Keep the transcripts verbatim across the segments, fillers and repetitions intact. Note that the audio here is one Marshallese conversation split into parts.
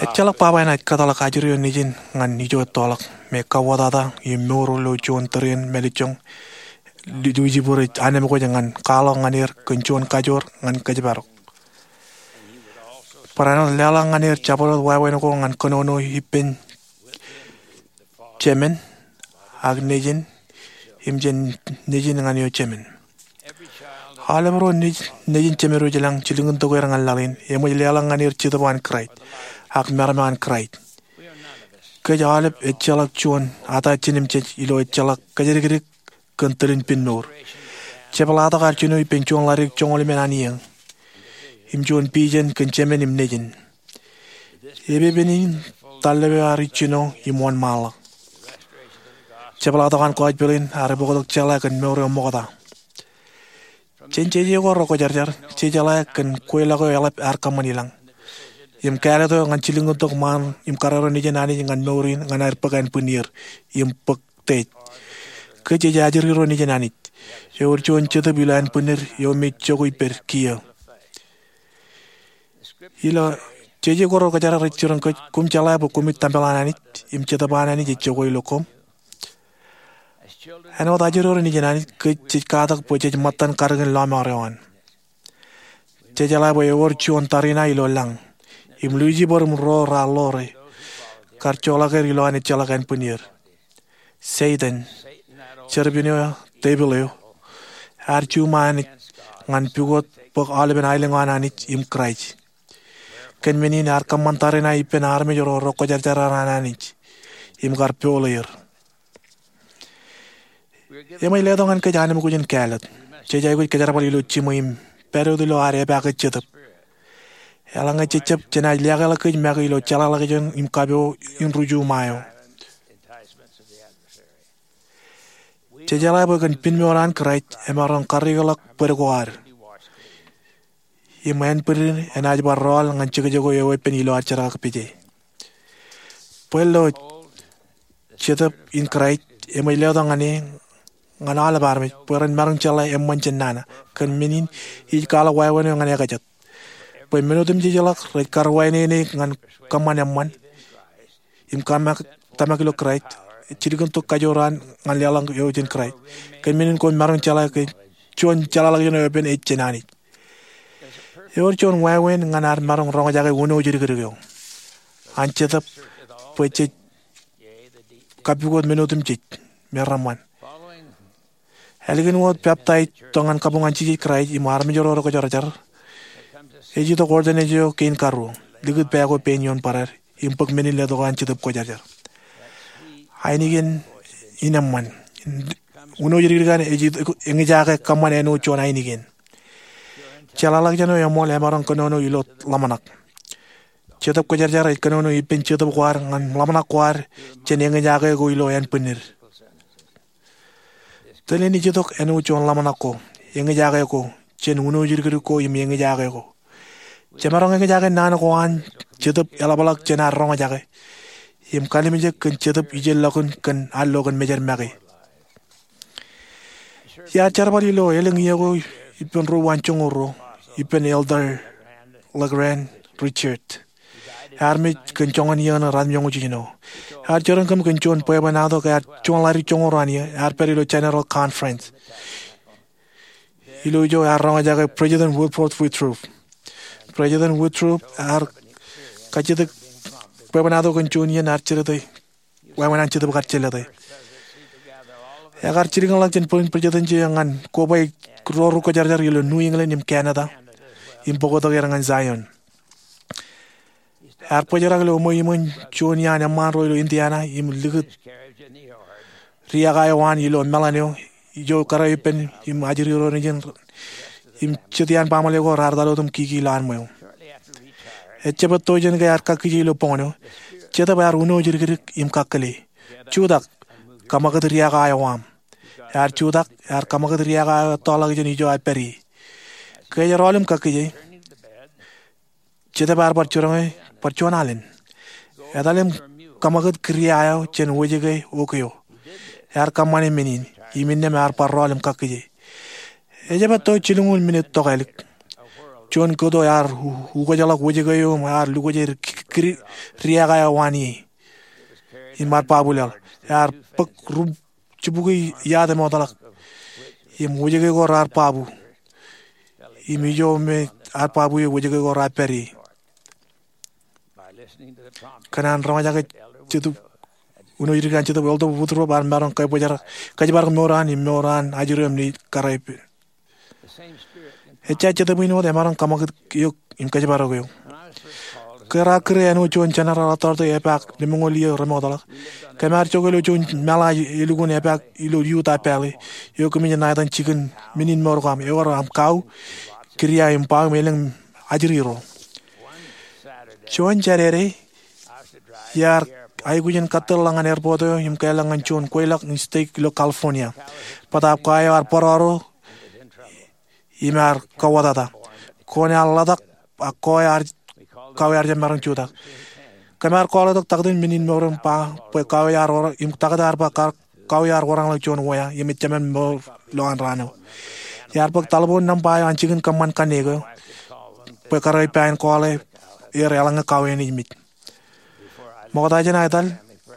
Ejjeḷọk baba eṇ ej kōtḷọk ajri eo nejin ñan ijo ettoḷọk me kauwōtata im mour ilo juon tōre in mālejjoñ Lucifer ej anemkwōj ñan kwaḷọk ñan er kōn juon kajoor ñan kōjparok. Barāinwōt leḷọk ñan er jabdewōt wāween ko ñan kōnono ippān Jemān ak Nejin im jān Nejin ñan eo Jemān. Aolep ro nejin Jemān ro ilañ jilkintok er ñan laḷ in, eṃōj leḷọk ñan er Jetōb an Kraist ak meram an Kraist. Kōj aolep ejjeḷọk juon ata jinimjej ilo ejjeḷọk kōjatdikdik kōn tōl in pinnmour. Jepḷaaktok ad jino ippān juon ḷaddik joñoul emān an iiō im juon pijen kōn Jemān im Nejin. Epepen in tallep eo ear ijjino im wōnṃaanḷọk. Jepḷaaktok an gospel in ear bōktok jeḷā kōn mour eo ṃokta. Jān jeje ko rekwōjarjar, jejeḷā kōn kweilọk eo eḷap ear kōṃṃan ilañ im kāālōt eo ñan jilkintok ṃaan im karreo nejin Anij ñan mour in ñan aer bōk ānbwinnier im bōk Tej. Kōj jej ajri ro nejin Anij. Ewōr juon Jetōb ilo ānbwinnid eo me jokwe ippād kiiō. Ilo jeje ko rekwōjarjar ej jiroñ kōj, koṃ jeḷā bwe koṃij tempel an Anij im Jetōb an Anij ej jokwe ilo koṃ. Āinwōt ajri ro nejin Anij, kōj jej katak bwe jej ṃōttan kadikōn lọmọọr eo an. Jejeḷā bwe ewōr juon tariṇae ilo lañ, im Lucifer im ro raar ḷoore kar joḷọk er ilowaan ejjeḷọk ānbwinnier. Setan, jerbal eo, devil eo, ear juṃae Anij ñan pukot bōk aolepen aelōñ eo an Anij im Kraist. Kōn men in ear kōṃṃan tariṇae ippān armej ro rekwōjarjar an Anij im kar pool er. Eṃōj letok ñan kōj anemkwōj in kāālōt. Jej aikuj kōjerbal ilo jiṃwe im pād wōt ilo ad epaake Jetōb. Eḷaññe jejjab, jenaaj liaakḷọk kōj make ilo jeḷāḷọkjeṇ im kapo in ri-juṃae eo. Jejeḷā bwe kōn pinnmour an Kraist emaroñ karreoḷọk bōd ko ad im ānbwinnid enaaj bar rọọl ñan jekjek ko eweeppān ilo ad jerkakpeje. Bwe ilo Jetōb in Kraist, eṃōj letok ñan e, ñan aolep armej bwe ren maroñ jeḷā eṃṃan jān nana. Kōn men in ij kwaḷọk wāween eo ñan ekajet, bwe men otemjejḷọk rej kar wāween eok ñan kōṃṃan eṃṃan im tōmak ilo Kraist, jilkintok kajoor an ñan leḷọk eo jān Kraist. Kōn men in koṃ maroñ jeḷā ke juon jeḷāḷọkjeṇ eweeppān ej jān Anij. Ewōr juon wāween ñan ad maroñ roñjake uno jidikdik eo an Jetōb bwe jej kapukot men otemjej me reṃṃan. Ālikin wōt peptaij tok ñan kabuñ an Jisōs Kraist im armej ro rekwōjarjar, ej itok ordination eo kein karuo, likūt pā ko pein ioon barād im bōk men in letok an Jetōb Kwōjarjar. Ainikien in eṃṃan. Uno jidikdik an ej eñjake kōṃṃan āinwōt juon ainikien. Jeḷāḷọkjeṇ eo eṃool emaroñ kōnono ilo ḷōmṇak. Jetōb Kwōjarjar ej kōnono ippān jetōb ko ad ñan ḷōmṇak ko ad jān eñjake ko ilo ānbwinnid. Tōl in ej itok āinwōt juon ḷōmṇak ko, eñjake ko, jān uno jidikdik ko im eñjake ko. Jemaroñ eñjake naan ko an Jetōb eḷapḷọk jān ad roñjake im kalimjek kōn Jetōb ijellọkin kōn ad lo kōn mejed make. Iar jerbal ilo elōñ iiō ko ippān ruo uwaan joñoul ruo ippān Elder LeGrand Richards. Ear mej kōn joñan iiō ṇe ratimjuonñoul jiljino. Ear jeroñ kōm kōn juon bwebwenato ke ear juon ḷaddik joñoul ruo an iiō ear pād ilo General Conference. Ilo ijo ear roñjake President Wilford Woodruff. President Woodruff ear kajjitōk bwebwenato kōn juon iien ear jelōte wāween an Jetōb kar jelōte. Ekar jilkinḷọk jān bwij president eo ñan koba ro rekwōjarjar ilo New England im Canada im bōktok er ñan Zion. Ear bōjrak ilo ṃweo iṃōn juon iaan eṃṃaan ro ilo Indiana im likūt riaak eo an ilo meḷan eo ijo kōrā ippān im ajri ro nejin im jet iaan baaṃle ko raar etal wōt im kiki ilo an ṃweo. Ejjab etto jān ke ear kakkije ilo boñōn eo, Jetōb ear uno jidikdik im kakkile, "Jutak, kaṃakūt riaak eo aṃ." Ear jutak, ear kaṃakūt riaak eo ettoḷọk jān ijo ear pād ie. Ke ej rọọl im kakkije, Jetōb ear bar jiroñ e bar juon alen. "Etal im kaṃakūt kūria eo jān wōjke oke eo." Ear kōṃṃane men in, im innām ear bar rọọl im kakkije. Ejjab etto jilñuul minit tokālik, juon kōto ear u- ukejeḷọk wōjke eo im ear lukwōj er kri- riak eo waan ie im ar babu laḷ. Ear bōk ri- jibukwi iaad emootḷọk im wōjke ko raar babu im ijo me ear babu ie wōjke ko raar pād ie. Kōn an roñjake Jetōb, uno jidik an Jetōb, Elder Woodruff ear maroñ kōjparok mour an im mour an ajri im nejiṃ kōrā ippān. Ejja Jetōb in wōt emaroñ kōṃakūt eok im kōjparok eok. Ke raar kūr āinwōt juon jeneral authority epaak lemñoul iiō remootḷọk, kōm ar jokwe ilo juon meḷa elukkuun epaak ilo Utah Valley eo kōmij ṇa etan jikin men in mour ko aṃ, ewōr aṃ kau, kidia im bao im elōñ ajri ro. Juon Jādede iar aikuj in kōtōl ḷọk ñan airport eo im kāālōt ñan juon kweilọk in stek ilo California. Bōtaab kwe eo ear bōrọro im ear kauwōtata. Kwe in ear ḷotak ak kwe eo ear, kau eo ear jab maroñ jutak. Kōm ar kọọḷọk tok taktō in men in mour im ba bwe kau eo ear wōr- im taktō ear ba kar- kau eo ear wōrañḷọk juon wea im ejjab men mour lowaan raan eo. Iar bōk taḷboon nōṃba eo an jikin kōṃṃan kanniōk eo bwe kōrā ippān kọọle er eḷaññe kau eo enaaj mej. Ṃokta jān aetal,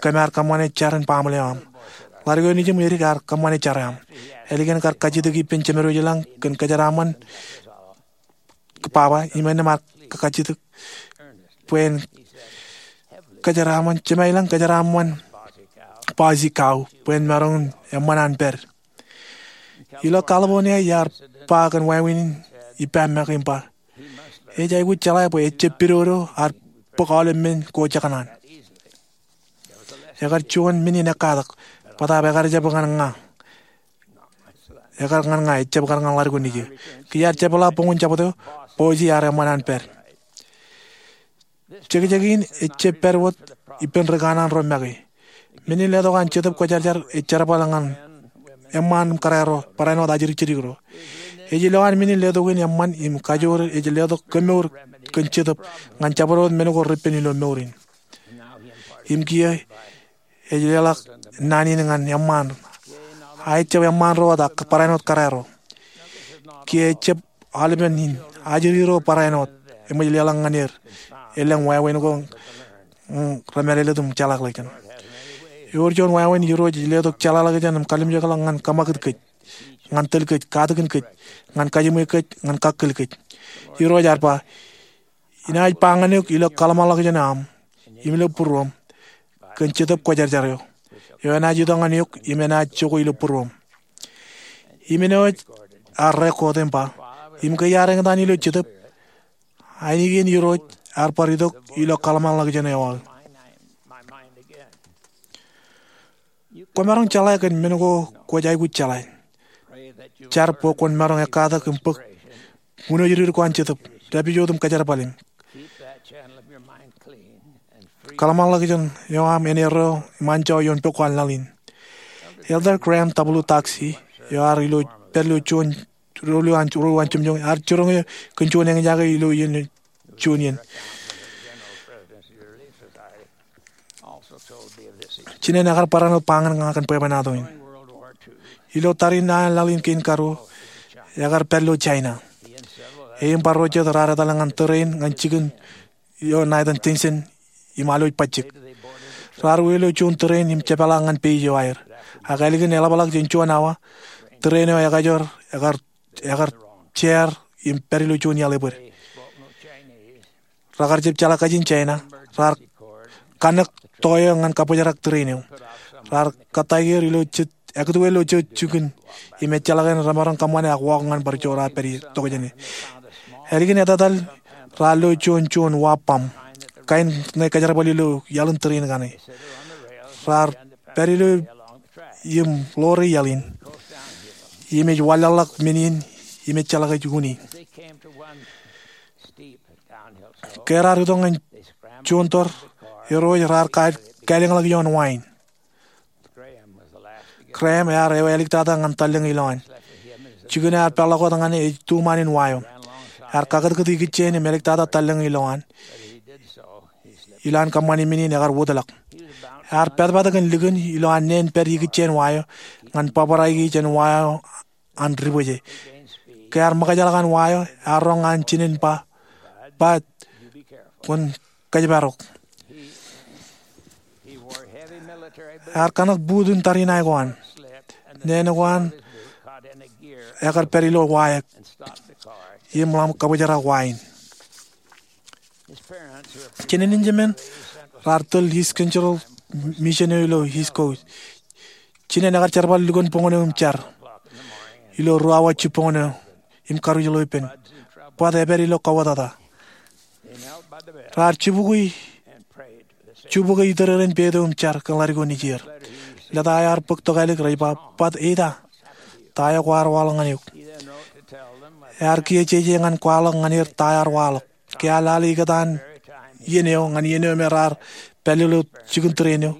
kōm ar kōṃṃane jar in baaṃle eo aṃ. Ḷadik eo nejiṃ edik ear kōṃṃane jar eo aṃ. Ālikin kar kajjitōk ippān Jemedwōj ilañ kōn kōjeraaṃṃan baba im innām ar kajjitōk bwe en kōjeraaṃṃan, Jemād ilañ kōjeraaṃṃan Bosie kau bwe en maroñ in eṃṃan an pād. Ilo California iar ba kōn wāween in ippa make im ba, ej aikuj jeḷā bwe ejjab pidodo ar bōk aolep men ko jekōṇaan. Ekar juon men in ekkatak, bōtaab ekar jab ñan ña. Ekar ñan ña, ejjab kar ñan ḷadik eo nejū. Ke iar jepḷaak boñin jabdewōt, Bosie ear eṃṃan an pād. Jekjek in ejjab pād wōt ippān ri kanaan ro make. Men in letok an Jetōb Kwōjarjar ej jerbal ñan eṃṃaan im kōrā ro, barāinwōt ajri jidik ro. Ej ilowaan men in letok in eṃṃan im kajoor ej letok kemour kōn Jetōb ñan jabdewōt men ko repen ilo mour in. Im kiiō ej leḷọk naan in ñan eṃṃaan. A ejjab eṃṃaan ro wōt ak barāinwōt kōrā ro. Kiiō ejjab aolepen in ajri ro barāinwōt eṃōj leḷọk ñan er elōñ wāween ko, mm, remālōtlōt im jeḷāḷọkjeṇ. Ewōr juon wāween Irooj ej letok jeḷāḷọkjeṇ im kalimjekḷọk ñan kōṃakūt kōj, ñan tōl kōj, katakin kōj, ñan kajiṃwe kōj, ñan kakkōl kōj. Irooj ear ba, inaaj ba ñan eok ilo kōḷmānḷọkjeṇ eo aṃ im ilo būruōṃ kōn Jetōb Kwōjarjar eo, eo enaaj itok ñan eok im enaaj jokwe ilo būruōṃ. Im āinwōt ear record im ba, im ke iar eñtaan ilo Jetōb, ainikien Irooj ear bar itok ilo kōḷmānḷọkjeṇ eo aō. Kwōmaroñ jeḷā kōn men ko kwōj aikuj jeḷā. Jar bwe kwōn maroñ ekkatak im bōk unooj rid ko an Jetōb, dāpij wōt im kōjerbal im kōḷmānḷọkjeṇ eo aṃ en erreo im anjọ ioon pok ko an laḷ in. Elder Graham W. Doxey, eo ear ilo, pād ilo juon ruo an, ruo an jemjeṃ, ear jiroñ eō kōn juon eñjake ilo iien juon iien. Jinen ekar barāinwōt ba ñan ña kōn bwebwenato in. Ilo tariṇae an laḷ in kein karuo, ekar pād ilo China. E im barāinwōt jet raar etal ñan tōre in ñan jikin eo ṇa etan Tianjin im alwōj bajjek. Raar wōj ilo juon tōre in im jepeḷaak ñan page eo aer. Ak ālikin eḷapḷọk jān juon awa, tōre in eo ekajoor, ekar, ekar jeer im pād ilo juon iaḷ ebōd. Rekar jab jeḷā kajin China, raar kanōk to eo ñan kabōjrak tōre in eo. Raar kōttāik er ilo jet, ekūtwe ilo jet jikin, im ejjeḷọk en remaroñ kōṃṃane ak walk ñan bar joor aō pād ie tokjāne. Ālikin etetal, raar lo juon, juon wa bōṃ. Kain ṇe kōjerbal ilo iaḷ in tōre in kaṇe. Raar pād ilo im ḷoore iaḷ in. Im ej wanlaḷḷọk men in, im ejjeḷọk ej uni. Ke raar itok ñan juon tōre, irooj raar ka-, kālōñḷọk ioon wa in. Graham ear ewi āliktata ñan tallōñ ilowaan. Jikin eo ear peḷḷọk wōt ñan e ej tuṃaan in wa eo. Ear kakūtkūt ikijjien im āliktata tallōñ ilowaan. Ilowaan kōṃṃani men in ekar wōtlọk. Ear patpat kōn likin ilowaan neen pād ikijjien wa eo ñan bōbraiki jān wa eo an dibwōje. Ke ear ṃōkajḷọk an wa eo, ear roñ an jinen ba, "Bud, kwōn kōjparok." Ear kōṇak buut in tariṇae ko an, neen ko an ekar pād ilo wa eo im ḷak kabōjrak wa in. Jinen in jemān raar tōl East Central Mission eo ilo East Coast. Jinen ekar jerbal lukkuun boñōn eo im jar ilo ruo awa jibboñōn eo im karuj ḷeo ippān. Bud epād ilo kauwōtata. Raar jibukwi, jibukwi itōrōrōn peid eo im jar kōn ḷadik eo nejier. Lōta eo ear bōk tokālik, rej ba, "Bud, eita ta eo kwaar waḷọk ñan eok?" Ear kiiō jeje ñan kwaḷọk ñan er ta eo ear waḷọk. Ke ear lale ikōtaan iien eo ñan iien eo me raar pālle ilo jikin tūreen eo,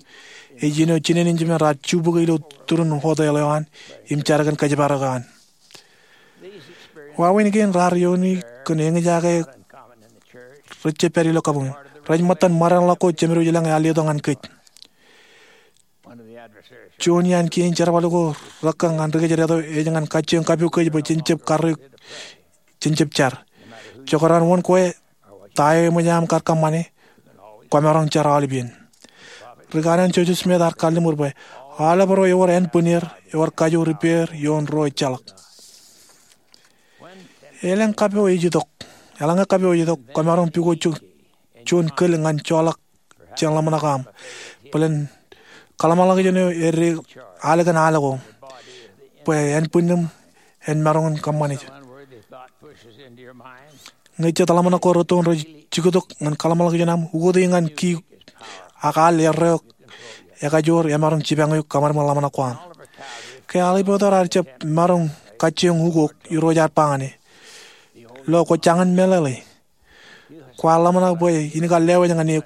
ej iien eo jinen in jemān raar jibukwi ilo turin hotel eo an im jar kōn kōjparok eo an. Wāween kein raar iiooni kōn eñjake rej jab pād ilo kabuñ. Rej ṃōttan ṃōrainḷọk ko jemed eo ilañ ear letok ñan kōj. Juon iaan kien jerbal ko rekōñ ñan ri kōjdat eo ej ñan kajjioñ kapo kōj bwe jen jab karreoik, jen jab jar. Jekdọọn wōn kwe ta eo eṃōj aṃ kar kōṃṃane, kwōmaroñ jar aolep iien. Ri kanaan Joseph Smith ear kalliṃur bwe aolep ro ewōr ānbwinnier ewōr kajoor ippāer ioon ro ejjeḷọk. Elōñ kapo ej itok, eḷaññe kapo ej itok, kwōmaroñ pukot juon kōl ñan joḷọk jān ḷōmṇak eo aṃ. Bōlen kōḷmānḷọkjeṇ eo ej ālikin al ko bwe ānbwinnem en maroñ in kōṃṃane. Ñe jet ḷōmṇak ko rūttoon rej jiktok ñan kōḷmānḷọkjeṇ aṃ, ukoti ñan ki ak al erreo ekajoor emaroñ jipañ eok kōṃadṃōd ḷōmṇak ko aṃ. Ke aolep eo raar jab maroñ kajjioñ ukok, Irooj ear ba ñan e, "Lo kwō jañin meḷeḷe? Kwaar ḷōmṇak bwe in kar lewōj ñan eok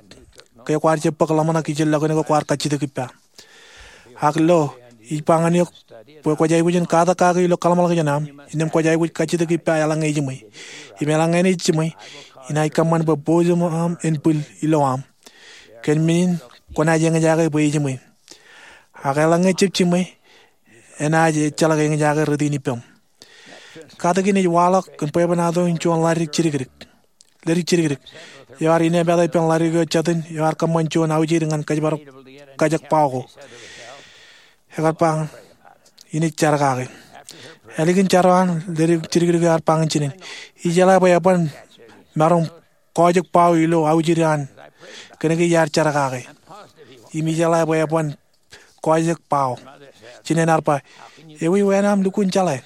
ke kwaar jab bōk ḷōmṇak ijellọkin ko kwaar kajjitōk ippa. Ak lo, ij ba ñan eok bwe kwōj aikuj in katak kaki ilo kōḷmānḷọkjeṇ aṃ, innām kwōj aikuj kajjitōk ippa eḷaññe ijiṃwe. Im eḷaññe enaaj jiṃwe, inaaj kōṃṃan bwe boojōṃ aṃ en bwil ilo aṃ. Kōn men in kwōnaaj eñjake bwe ijiṃwe. Ak eḷaññe jab jiṃwe, enaaj ejjeḷọk eñjake rot in ippaṃ." Katak in ej waḷọk kōn bwebwenato in juon ḷadik jidikdik. Ḷadik jidikdik eo ear inepata ippān ḷadik eo jatūn eo ear kōṃṃan juon aujid ñan kōjparok kajek bao ko. Ekar ba ñan e, "Inaaj jar kake." Ālikin jar eo an, ḷadik jidikdik eo ear ba ñan jinen, "Ijeḷā bwe eban maroñ kọọjek bao ilo aujid eo an kōnke iar jar kake. Im ijeḷā bwe eban kọọjek bao." Jinen ear ba, "Ewi wāween aṃ lukkuun jeḷā?"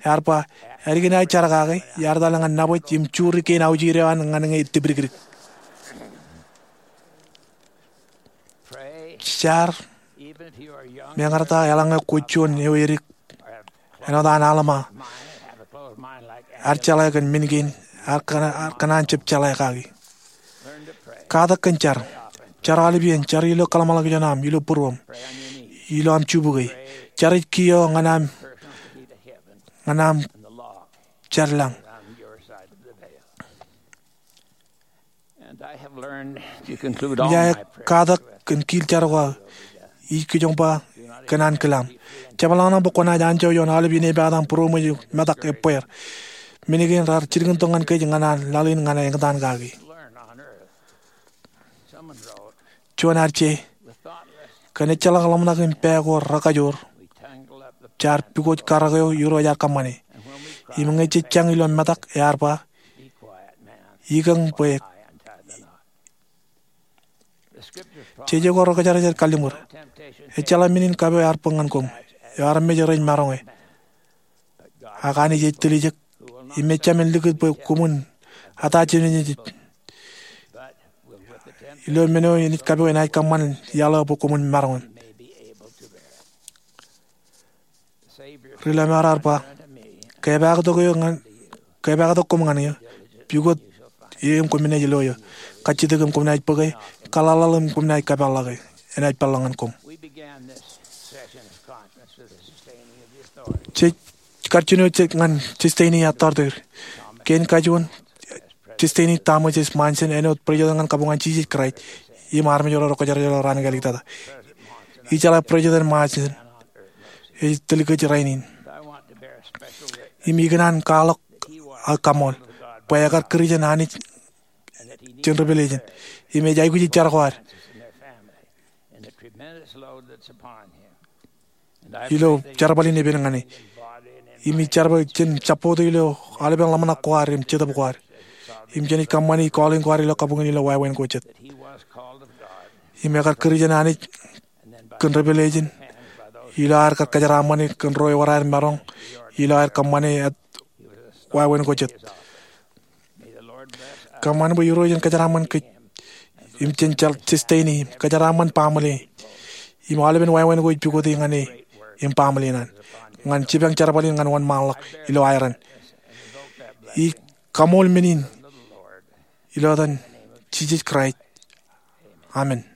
Ear ba, "Ālikin aō jar kake, iar etal ñan nabōj im juri kein aujid eo an ñan ñe etipdikdik." Jar, meñe ear ta eḷaññe kwōj juon eo edik āinwōt an Alma, ear jeḷā kōn men kein ear kōṇaan, ear kōṇaan jab jeḷā kaki. Katak kōn jar. Jar aolep iien, jar ilo kōḷmānḷọkjeṇ aṃ, ilo būruōṃ, ilo aṃ jibukwi. Jar ej kiiō ñan aṃ, ñan aṃ jar lañ. Ij katak kōn kiil jar ko aō, ij kijoñ ba kōn an kilaṃ. Jepḷaakḷọk bwe kwōnaaj anjọ ioon aolep inepata im būroṃōj im metak ebbeer. Men kein raar jilkintok ñan kōj ñan an laḷ in ñan eñtaan kaki. Juon ear je, kōn ejjeḷọk ḷōmṇak im pā ko rekajoor, jaar pukot karōk eo Irooj ear kōṃṃane. Im ñe jej jañ ilo metak, ear ba, ikōñ bwe jeje ko Ri-Kōjatdikdik ej kalliṃur, ejjeḷọk men in kapo ear bōk ñan koṃ, eo armej rej maroñe. Ak Anij ej tiljek, im ejāmin likūt bwe koṃwin ata jemān ej. Ilo men eo enaaj kapo enaaj kōṃṃan iaḷ eo bwe koṃwin maroñ. Ri-lọmọọr ear ba, kepaaktok koṃ ñan eō, pukot eō im koṃ naaj lo eō, kajjitōk im koṃ naaj bōke, kaḷaḷḷaḷ im koṃ naaj kapeḷḷọke, enaaj peḷḷọk ñan koṃ. Jej kar jino ñan Destiny Authority, kein kajuon Destiny Thomas S. Monson āinwōt President ñan kabuñ an Jisōs Kraist im armej ro rej kōjatdikdik raan kāāliktata. Ijeḷā President Monson ej tōl kōj rainin. im ikōṇaan kwaḷọk aō kaṃool bwe ekar kūr jān Anij jān revelation im ej aikuj jar ko ad ilo jerbal in epen ñan e. Im ij jar bwe jen jabdewōt ilo aolepen ḷōmṇak ko ad im jetōb ko ad im jenaaj kōṃṃani calling ko ad ilo kabuñ in ilo wāween ko jet. Im ekar kūr jān Anij kōn revelation ilo aer kar kōjeraaṃṃan e kōn ro ewōr aer maroñ ilo aer kōṃṃane wāween ko jet. Kōṃṃan bwe Irooj en kōjeraaṃṃan kōj im jen sustain e im kōjeraaṃṃan baaṃle e im aolepen wāween ko ej pukot e ñan e im baaṃle in an ñan jipañ jerbal in ñan wōnṃaanḷọk ilo aeran. Ij kaṃool men in ilo etan Jisōs Kraist, amen.